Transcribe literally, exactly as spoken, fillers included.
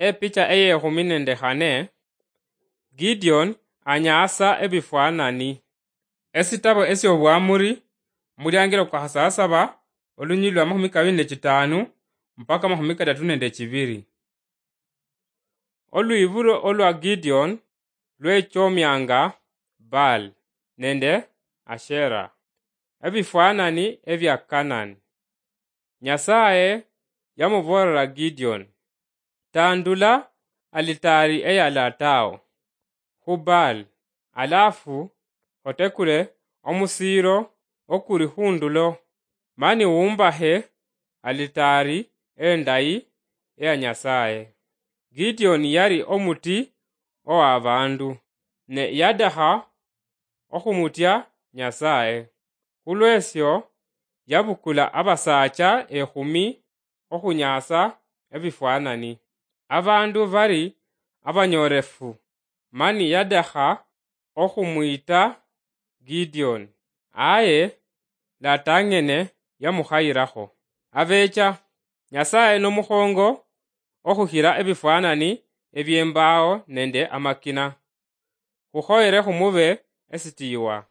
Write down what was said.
Epicha eyekhumi nende khane, Gideon anyaasa ebifwanani. Esitabo esy'Obwamuri, omuliangiro kwa khasasaba, olunyilili lwa makhumi kabili nechitanu mpaka makhumi kadatu nende chibiri. Olwiburo olwa Gideon lwechomianga Baal nende Asherah, ebifwanani ebya Kanani. Nyasaye yamuboolera Gideon, "Tandula alitaari eya lataao khu Baal, alafu otekule omusiiro okuri khundulo, mani wumbakhe alitaari endayi eya Nyasaye." Gideon yali omuti owa baandu, ne yadakha okhumutya Nyasaye. Khulwesyo yabukula abasaacha ekhumi okhunyaasa ebifwanani. Abaandu bali abanyoolefu, mani yadakha okhumwiita Gideon, aye latang'ene yamukhayirakho. Abeecha, Nyasaye nomukhongo okhukhira ebifwanani eby'embaawo nende amakina. Khukhoyere khumube esitiiwa.